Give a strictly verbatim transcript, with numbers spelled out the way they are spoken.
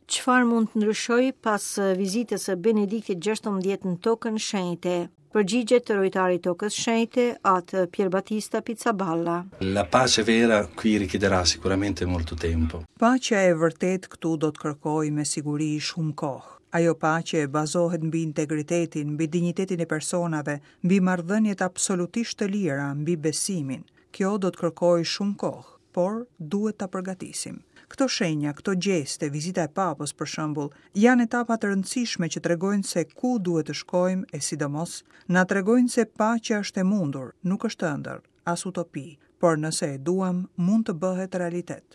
Çfarë mund të ndryshojë pas vizitës së Benediktit gjashtëmbëdhjetë në Tokën Shenjte? Përgjigjet rojtari i Tokës Shenjte, atë Pierbattista Pizzaballa. La pace vera qui richiederà sicuramente molto tempo. Paqja e vërtetë këtu do të kërkojë me siguri shumë kohë. Ajo paqe bazohet mbi integritetin, mbi dinjitetin e personave, mbi marrëdhëniet absolutisht të lira, mbi besimin. Kjo do të kërkojë shumë kohë, por duhet ta përgatisim. Këto shenja, këto gjeste, vizita e papës për shembull, janë etapa të rëndësishme që tregojnë se ku duhet të shkojmë e sidomos na tregojnë se paqja është e mundur, nuk është ëndër, as utopi, por nëse e duam, mund të bëhet realitet.